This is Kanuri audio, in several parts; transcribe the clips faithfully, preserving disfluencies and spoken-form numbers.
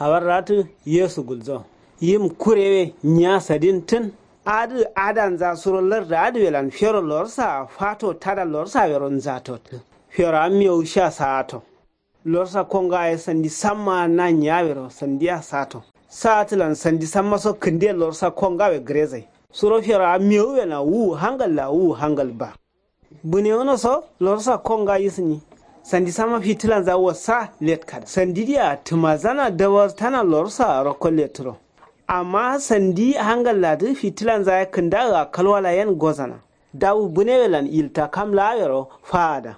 Awarra tǝ yesu gulzo. Yim kurewe nyiya sadin tǝn. Adǝ adanza suro larda adǝ welan fero lorsa fato tada lorsa wero nzato tǝ. Fero ammiyo wusha sa'ato. Lorsa konga ye sandi samma na nyiya wero sandiya sa'ato. Sa'atǝlan sandi samma so kǝndiye lorsa konga we gǝrezai. Suro fero ammiyo wena wu hangal la wu hangal ba. Bǝne wono so lorsa konga yisǝnyi. Sandi samma fitǝlanza wassa letkada sandi diya tǝmazana dawar tana lorsa rokko letǝro. Amma sandi hangal ladǝ fitǝlanza ye kǝndaga kalwala yen gozana. Dawu bǝne welan ilta kam la'awero fa'ada.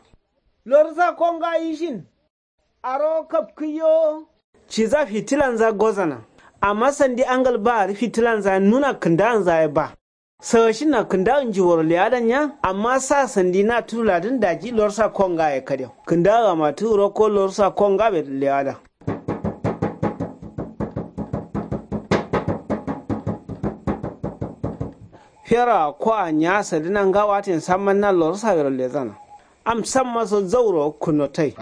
Lorsa konga yishin. Aro kapkǝyo. Ciza fitǝlanza gozana. Amma sandi angal ba arǝ fitǝlanza nuna kǝndaanza ye ba. Sawashinna kǝndawu njiworo le'adan nya. Amma sa sandi na tudu ladǝn daji lorsa konga ye kadew kǝndawu amatǝ wuro ko lorsa konga be le'ada. Fera ko a nya sadǝna nga watin samman na lorsa wero lezana. Am samma so zauro kunotai.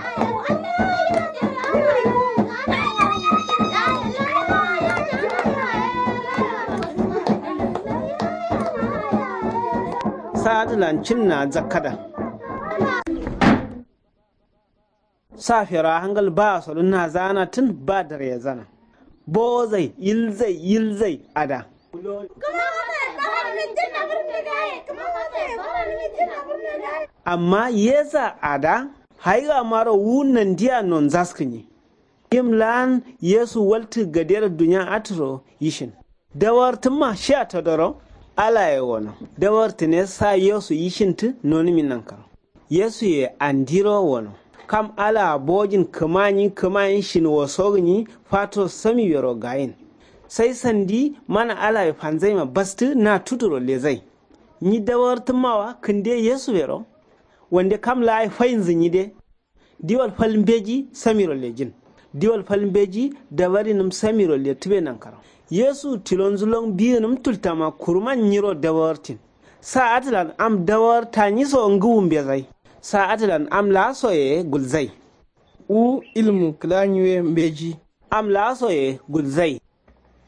Sa'adǝlan cinna zakkada. Sa fera hangal ba sodǝ nazana tǝn ba darezana. Bowozai yilzai yilzai ada. Amma yeza ada. Haiga maro wu nandiya nonzaskǝnyi. Yim la'an yesu waltǝ gadero dunya atǝro yishin. Dawartǝmma shiya todoro. Alaye wono. Dawartǝne sa yesu yishintǝ nonǝmi nankaro. Yesuye andiro wono. Kam alaa bojin kǝmanyi kǝmayin shin wosogǝnyi fato samiwero gayin. Sai sandi mana alaye fanzaima bastǝ na tuduro lezai. Nyi dawartǝmmawa kǝnde yesuwero. Wande kam la'ayi fayinzǝ nyide. Diwal fal mbeji samiro lejin. Diwal fal mbeji dawarinǝm samiro letǝbe nankaro. Yesu tilonzǝ lon biyinǝm tultama kuruman nyiro dawartin. Sa atǝlan am dawar tanyi so ngǝwu mbezai. Sa atǝlan am laa soye gulzai. Wu ilmu kǝla nyiwe mbeji. Am laa soye gulzai.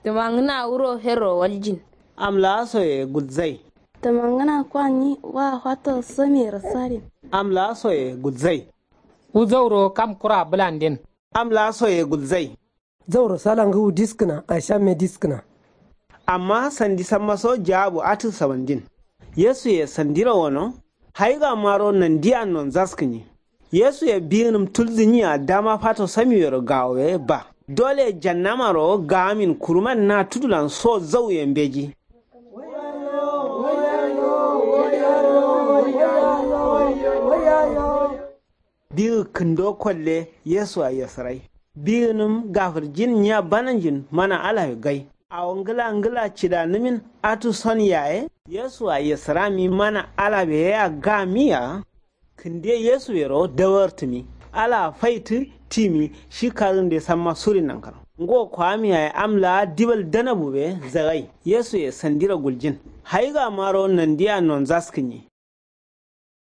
Tǝmangǝna wuro herro waljin. Am laa soye gulzai. Tǝmangǝna kwa nyi wa fato samiyero sadin. Am laa soye gulzai. Wu zauro kam kura bǝlandin. Am laa soye gulzai. Zauro sala ngǝwu diskǝna aishamme diskǝna. Amma sandi samma so jaabu atǝ sawandin. Yesuye sandiro wono. Haiga maro nandiya nonzaskǝnyi. Yesuye biyinǝm tulzǝnyiya dama fato samiwero gawowe ba. Dole jannamaro gawamin kuruman na tudulan so zauye mbeji. Biyi kǝndo kolle yesu a yesǝrai. Biyinǝm gafǝrjin nyiya bananjin mana alawe gai. Awo ngǝla ngǝla cidanǝmin atǝ son yaye. Yesu a yesǝrami mana alawe ye a gamiya. Kǝnde yesu yero dawartǝmi. Alaa faitǝ timi shi karǝnde samma suri nankaro. Ngo kwami yaye am laa dibal danabu be zagai. Yesuye sandiro guljin. Haiga maro nandiya nonzaskǝnyi.